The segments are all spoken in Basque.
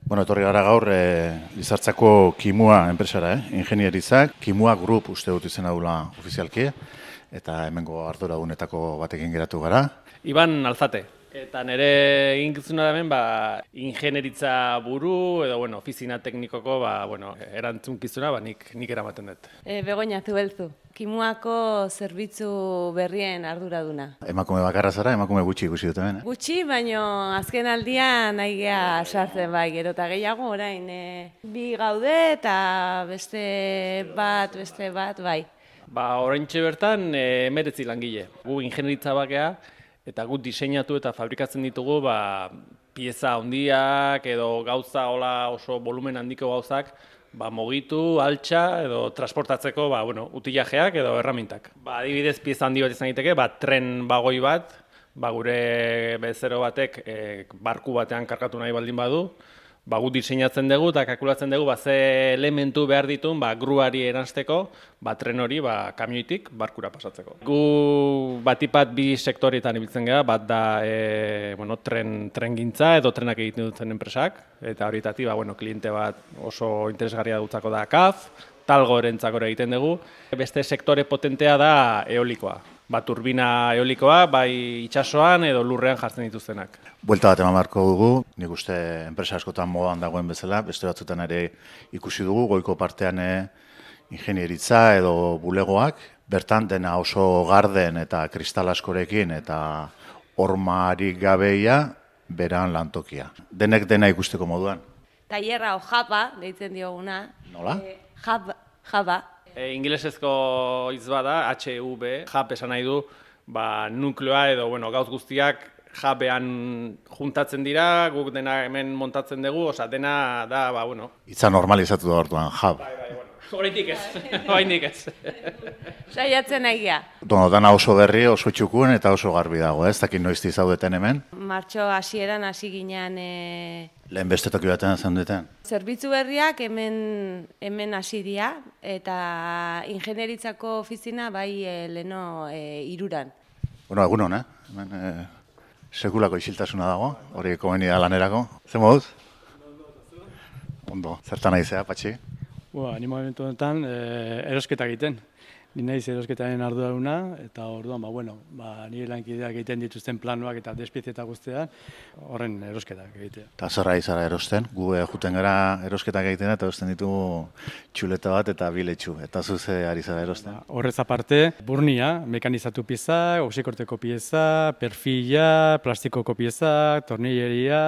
Bueno, etorri gara gaur Lizartzako Kimua enpresara, ingenieritzak, Kimua Group uste dut izena dula ofizialki, eta hemengo arduragunetako batekin geratu gara. Iban Alzate. Eta nire eginkizuna da hemen, ingenieritza buru edo, ofizina teknikoko, erantzunkizuna, nik eramaten dut. Begoña Zubelzu, Kimuako zerbitzu berrien arduraduna. Emakume bakarra zara, emakume gutxi ikusi dut hemen. Gutxi, baino azken aldian nahi gea sartzen bai, gero eta gehiago orain. Bi gaude eta beste bat, bai. Oraintxe bertan, 19 langile. Gu ingenieritza bakea, eta gu diseinatu eta fabrikatzen ditugu pieza handiak edo gauza oso volumen handiko gauzak mugitu, altxa edo transportatzeko utilajeak edo erramintak. Adibidez pieza handi bat izan daiteke, tren bagoi bat, gure bezero batek barku batean kargatu nahi baldin badu, gu diseinatzen dugu eta kalkulatzen dugu ze elementu behar ditun gruari eransteko, tren hori kamioitik barkura pasatzeko. Gu batipat bi sektoretan ibiltzen gara, bat da tren gintza edo trenak egiten dutzen enpresak, eta horietatik kliente bat oso interesgarria dutzako da CAF, Talgo erentzako egiten dugu. Beste sektore potentea da eolikoa. Turbina eolikoa, bai itsasoan edo lurrean jartzen dituztenak. Buelta bat eman beharko dugu, nik uste enpresa askotan modan dagoen bezala, beste batzutan ere ikusi dugu, goiko partean ingenieritza edo bulegoak, bertan dena oso garden eta kristal askorekin eta hormarik gabeia beran lantokia. Denek dena ikusteko moduan. Tailerra o japa, deitzen dioguna. Nola? Jaba. Ingelesezko hitz bada, HUB, jap esan nahi du, nukleoa edo gauz guztiak jabean juntatzen dira, guk dena hemen montatzen dugu, dena da, Itza normalizatu da orduan, jab. Horretik ez. Saiatzen nahi gea. Dana oso berri, oso txukun eta oso garbi dago, ez dakit noizti zaudeten hemen. Martxo hasieran hasi ginean... Lehen beste toki batean zaudeten. Zerbitzu berriak hemen hasi dira, eta ingenieritzako ofizina bai leno iruran. Egun hon, hemen sekulako isiltasuna dago, hori komeni da lanerako. Zer moduz? Ondo, zertan naizea, Patxi? Ni momentu honetan erosketa egiten. Ni naiz erosketaren arduraduna eta orduan nire lankideak egiten dituzten planuak eta despiezieta guztiak horren erosketak egitea. Eta zerra izara erosten? Gu juten gara erosketak egiten eta erosten ditugu txuleta bat eta biletxu. Eta zuze ari zara erosten? Horrez aparte, burnia, mekanizatu pieza, oxikorteko pieza, perfila, plastikoko pieza, tornilleria,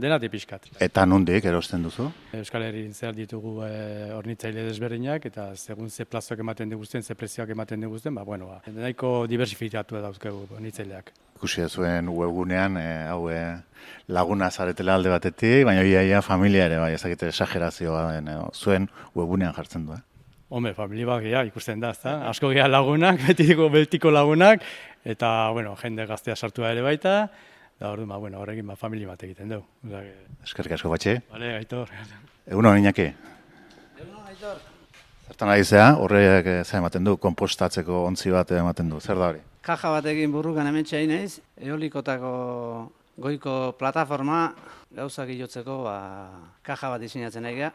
dena tipizkat. Eta nondik erosten duzu? Euskal Herrian zehar ditugu hornitzaile desberdinak eta segun ze plazoak ematen diguzten, ze prezioak ematen diguzten, nahiko diversifikatu dauzkegu hornitzaileak. Ikusi zuen webgunean, laguna zaretela alde batetik, baina ia familia ere, ezakite esagerazioa den, zuen webgunean jartzen du. Hombre, familia bat ikusten da, ezta? Asko geha lagunak, betiko lagunak, eta, jende gaztea sartua ere baita, da orduan, horrekin familia bat egiten dugu. Eskerrik asko, Patxi. Bale, Aitor. Egunon, Iñaki. Egunon, Aitor. Zertan ari zea, horrek ematen du, konpostatzeko ontzi bat ematen du, zer da hori? Kaja batekin burrukan hementxe hain naiz, eolikotako goiko plataforma gauzak ilotzeko kaja bat diseinatzen nahi geha.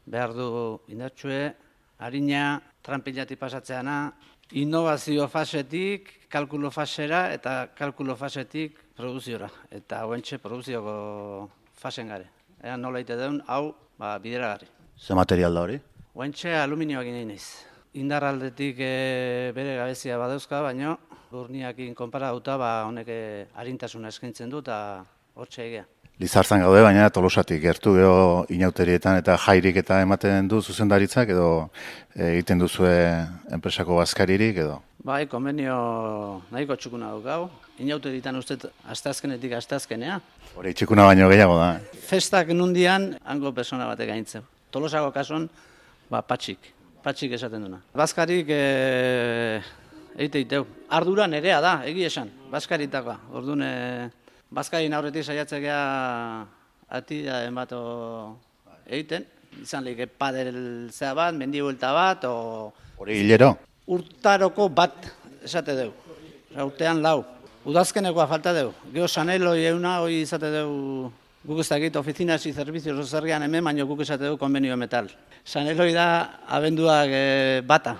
Behar du indartsue, harina, tranpilati pasatzeana, innovazio fasetik, kalkulo fasera eta kalkulo fasetik produziora. Eta hoentxe produzioko fasen gare. Ean nola ite deun, hau bideragarri. Ze material da hori? Hoentxe aluminioak nahi naiz. Indar aldetik bere gabezia badauzka, baina burniakin konparatuta honek arintasuna eskaintzen du eta hortxe egea. Lizartzan gaude, baina Tolosatik gertu geho inauterietan eta jairik eta ematen du zuzendaritzak edo egiten duzue enpresako bazkaririk edo? Bai, konbenio nahiko txukuna dukau. Inauterietan uste asteazkenetik asteazkenea. Hori txukuna baino gehiago da. Festak nundian hango persona batek gaintzen. Tolosako kasuan, patxik esaten duna. Bazkarik egiteiteu. Ardura nerea da, egi esan, bazkaritakoa. Orduan, bazkarin aurretik saiatzekea atida enbato egiten. Izan lehike padel zea bat, mendi buelta bat, hori hilero? Urtaroko bat esate deu. Urtean lau. Udazkenekoa falta deu. Geo saneloi euna hori izate deu Guk ez dakit oficinas y servicios zergean hemen, baina guk esate du konbenio metal. San Eloi da abenduak bata,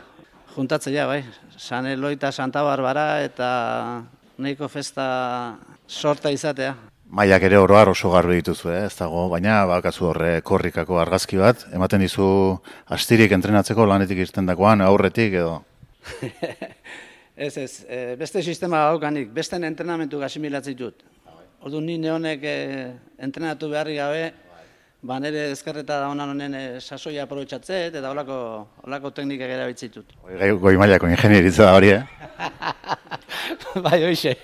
juntatzea, bai. San Eloi eta Santa Barbara eta nahiko festa sorta izatea. Maiak ere oroar oso garbi dituzu, ez dago, baina bakazu horre korrikako argazki bat, ematen dizu astirik entrenatzeko lanetik irtendakoan, aurretik edo. Ez, beste sistema daukanik, beste entrenamentu asimilatzen dut. Orduan ni neonek entrenatu beharri gabe, ba nire ezkerreta da honen sasoia aprobetxatzet eta holako teknikak erabiltzen dut. Goi mailako ingenieritza da hori, Bai, hoxe.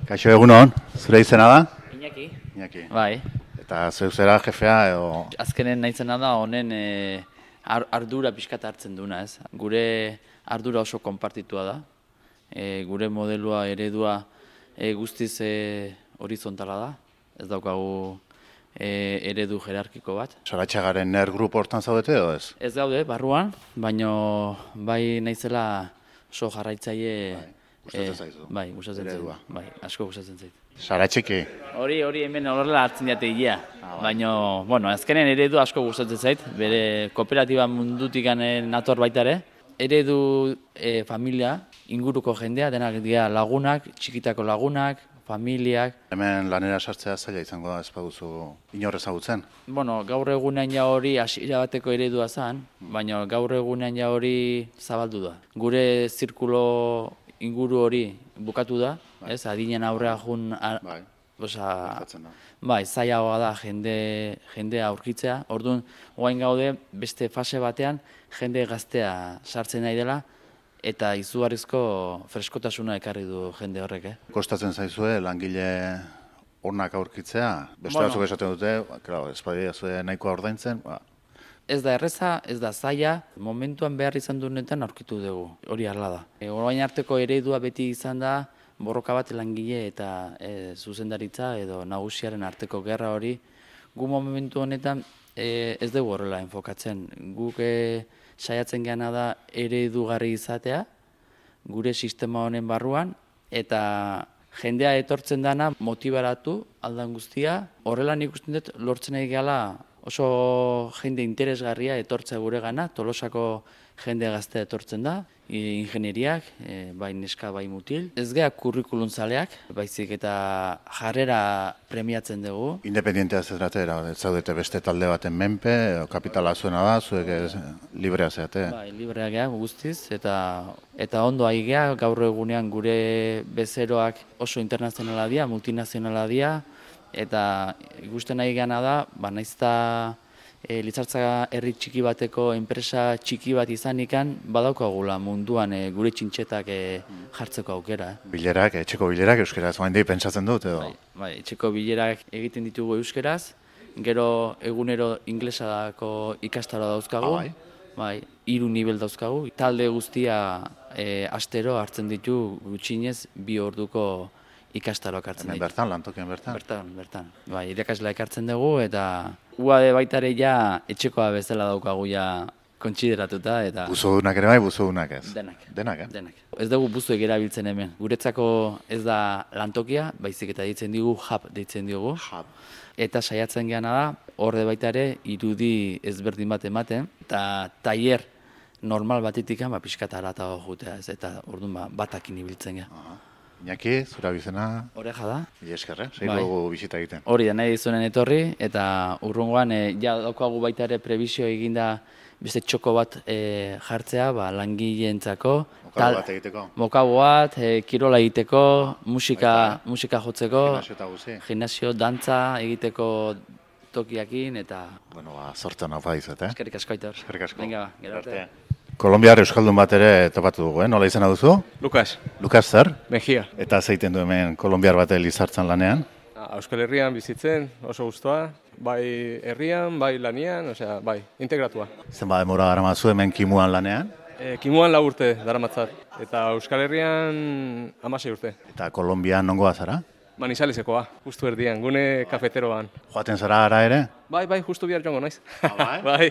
Kaixo, egunon, zure izena da? Iñaki. Iñaki. Bai. Eta zeu zera jefea edo... Azkenen naizena da honen ardura pixkat hartzen duna, ez? Gure ardura oso konpartitua da. Gure modelua, eredua guztiz horizontala da. Ez daukagu eredu jerarkiko bat. Saratxagaren ner grupo hortan zaudete edo ez? Ez gaude, barruan, baino bai naizela oso jarraitzaile... Gustatzen zaizu? Bai, gustatzen zait. Eredua. Bai, asko gustatzen zait. Saratxiki. Hori hemen horrela hartzen dute hilea. Baina, bueno, azkenen eredu asko gustatzen zait, bere kooperatiba mundutik nator baita ere. Eredu familia, inguruko jendea, denak dira lagunak, txikitako lagunak, familiak. Hemen lanera sartzea zaila izango da, ez baduzu inor ezagutzen. Bueno, gaur egunean ja hori hasiera bateko eredua zen, baina gaur egunean ja hori zabaldu da. Gure zirkulo inguru hori bukatu da, ez, adinen aurrea jun, bai, zailagoa da jendea aurkitzea. Orduan, orain gaude beste fase batean jende gaztea sartzen nahi dela eta izugarrizko freskotasuna ekarri du jende horrek. Kostatzen zaizue langile onak aurkitzea, beste batzuk esaten dute, ez badia zuen nahikoa ordaintzen, Ez da erreza, ez da zaila, momentuan behar izan duenetan aurkitu dugu, hori hala da. Orain arteko eredua beti izan da, borroka bat langile eta zuzendaritza edo nagusiaren arteko gerra hori. Gu momentu honetan ez dugu horrela enfokatzen. Guk saiatzen geana da eredugarri izatea, gure sistema honen barruan, eta jendea etortzen dana motibaratu aldan guztia. Horrela nik uste dut lortzen nahi gehala oso jende interesgarria etortzea gure gana, Tolosako jende gaztea etortzen da, ingenieriak, bai neska, bai mutil. Ez geha kurrikulun zaleak, baizik eta jarrera premiatzen dugu. Independientea zedratera, ez zaudete beste talde baten menpe, kapitala zuena da, zuek librea zeate. Bai, librea geha guztiz, eta ondo ari geha, gaur egunean gure bezeroak oso internazionala dira, multinazionala dira, eta ikusten nahi gana da, naizta Lizartza herri txiki bateko enpresa txiki bat izanikan badaukagula munduan gure txintxetak jartzeko aukera. Bilerak, etxeko bilerak euskeraz, oain pentsatzen dut edo? Bai, etxeko bilerak egiten ditugu euskeraz, gero egunero inglesadako ikastaro dauzkagu, bai, 3 nivel dauzkagu, talde guztia astero hartzen ditu gutxinez 2 orduko ikastaroak hartzen ditu. Bertan, lantokien bertan? Bertan. Bai, irakasleak hartzen dugu eta UAD baitare ja etxekoa bezala daukagu ja kontsideratuta eta... Buzodunak ere bai, buzodunak ez? Denak. Denak, Denak. Ez dugu buzuek erabiltzen hemen. Guretzako ez da lantokia, baizik eta deitzen digu hub deitzen diogu. Hub. Eta saiatzen geana da, horde baitare irudi ezberdin bat ematen, eta tailer normal batetik pixkat haratago jutea ez, eta orduan batakin ibiltzen geha. Iñaki, zura bizena? Oreja da. Ile eskerre, dugu bisita egiten. Hori da, nahi dizunen etorri, eta urrungoan ja daukagu baita ere prebizio eginda beste txoko bat jartzea, langileentzako. Mokago bat egiteko? Mokago bat, kirola egiteko, musika jotzeko, gimnasio, dantza egiteko tokiakin, eta... Bueno, sortzen hau badizut, Eskerrik asko, Aitor. Eskerrik asko. Venga, gero arte. Kolombiar euskaldun bat ere topatu dugu, nola izena duzu? Lukas. Lukas zer? Mejia. Eta zeiten du hemen kolombiar bat Lizartzan lanean? Euskal Herrian bizitzen, oso guztua, bai herrian, bai lanian, bai, integratua. Zenba demora daramazu hemen kimuan lanean? Kimuan 4 urte daramatzat, eta Euskal Herrian 16 urte. Eta Kolombian nongoa zara? Manizalesekoa, justu erdian, gune kafeteroan. Joaten zara ara ere? Bai, justu bihar joango naiz. Bai? Bai.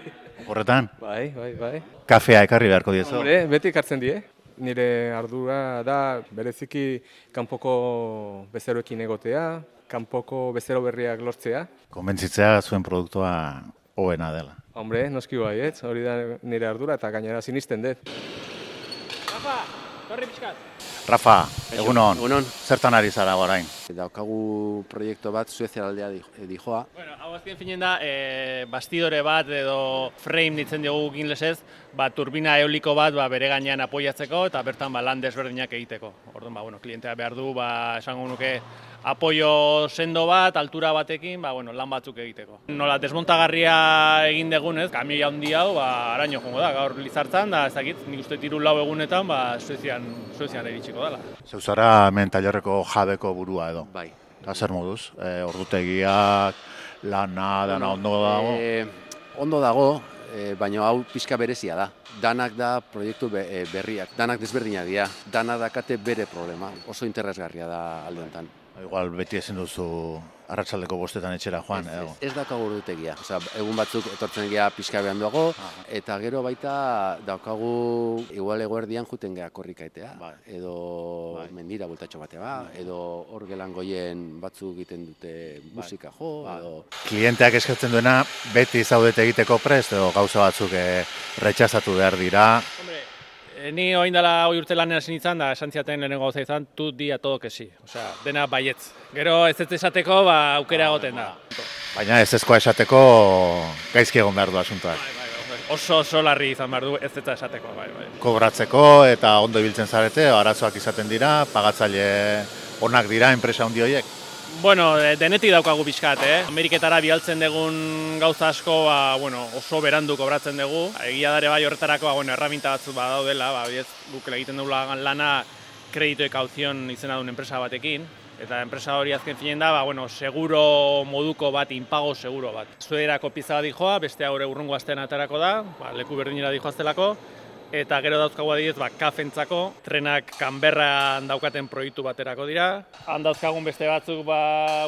Horretan? Bai. Kafea ekarri beharko diezu? Hombre, beti ekartzen die. Nire ardura da bereziki kanpoko bezeroekin egotea, kanpoko bezero berriak lortzea. Konbentzitzea zuen produktua hoena dela. Hombre, noski bai, hori da nire ardura eta gainera sinisten dut. Rafa, torri pixkat. Rafa, egunon, Egunon. zertan ari zara orain? Daukagu proiektu bat Suezia aldea dijoa. Bueno, hau azken finen da, bastidore bat edo frame ditzen diogu inglesez, turbina eoliko bat bere gainean apoiatzeko eta bertan lan desberdinak egiteko. Orduan, klientea behar du, esango nuke, apoio sendo bat, altura batekin, lan batzuk egiteko. Nola desmontagarria egin degunez, kamioi handi hau, araño jongo da, gaur Lizartzan, da, ez dakit, nik uste 3-4 egunetan, Suezian iritsiko dela. Zeu zara hemen tailerreko jabeko burua edo? Bai. Eta zer moduz? Ordutegiak, lana, dana ondo dago? Ondo dago, baina hau pixka berezia da. Danak da proiektu berriak, danak desberdinak dira, danak dakate bere problema. Oso interesgarria da alde honetan. Igual beti ezin duzu arratsaldeko 5 etxera joan, edo? Ez daukagu ordutegia. Egun batzuk etortzen gea pixka behan duago, eta gero baita daukagu igual eguerdian juten gea korrikaitea, edo mendira bultatxo batea, edo hor gelan goien batzuk egiten dute musika jo, edo... Klienteak eskatzen duena beti zaudete egiteko prest, edo gauza batzuk retxazatu behar dira? Ni oain dela hoi urte lanean hasi nintzen, da esan ziaten lehenengo gauza izan, tu di a todo que sí. Osea, dena baietz. Gero ez esateko, aukera egoten da. Baina ez ezkoa esateko gaizki egon behar du asuntoak. Oso larri izan behar du ez esateko, bai. Kobratzeko eta ondo ibiltzen zarete, arazoak izaten dira, pagatzaile onak dira enpresa handi horiek? Bueno, denetik daukagu pixkat, Ameriketara bialtzen dugun gauza asko, oso berandu kobratzen dugu. Egia dare bai horretarako, erraminta batzuk badaudela, guk egiten dugu lana kredito e kauzion izena duen enpresa batekin. Eta enpresa hori azken finen da, seguro moduko bat, inpago seguro bat. Zuederako pizza bat dijoa, beste haure urrungo astean aterako da, leku berdinera dijoaztelako. Eta gero dauzkagu adibidez, kafentzako, trenak Kanberran daukaten proiektu baterako dira. Han dauzkagun beste batzuk,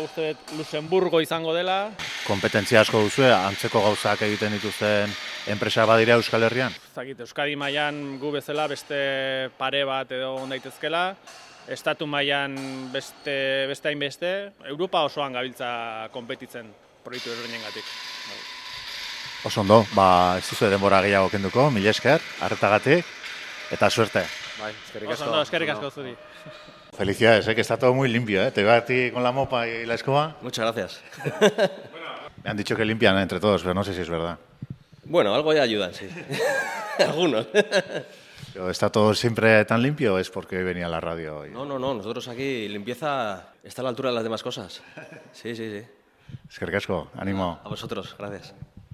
uste dut, Luxemburgo izango dela. Kompetentzia asko duzue, antzeko gauzak egiten dituzten enpresa badira Euskal Herrian? Zakit, Euskadi mailan gu bezala beste pare bat edo ondaitezkela. Estatu mailan beste hainbeste. Europa osoan gabiltza konpetitzen proiektu ezberdinengatik. Oso ondo, ez duzue denbora gehiago kenduko, mila esker, arretagatik, eta suerte. Bai, eskerrik asko. Oso ondo, eskerrik asko zuri. Felicidades, que está todo muy limpio, Te veo a ti con la mopa y la escoba. Muchas gracias. Me han dicho que limpian entre todos, pero no sé si es verdad. Bueno, algo ya ayudan, sí. Algunos. ¿Pero está todo siempre tan limpio o es porque hoy venía a la radio hoy? No, nosotros aquí limpieza está a la altura de las demás cosas. Sí. Eskerrik asko, ánimo. A vosotros, gracias.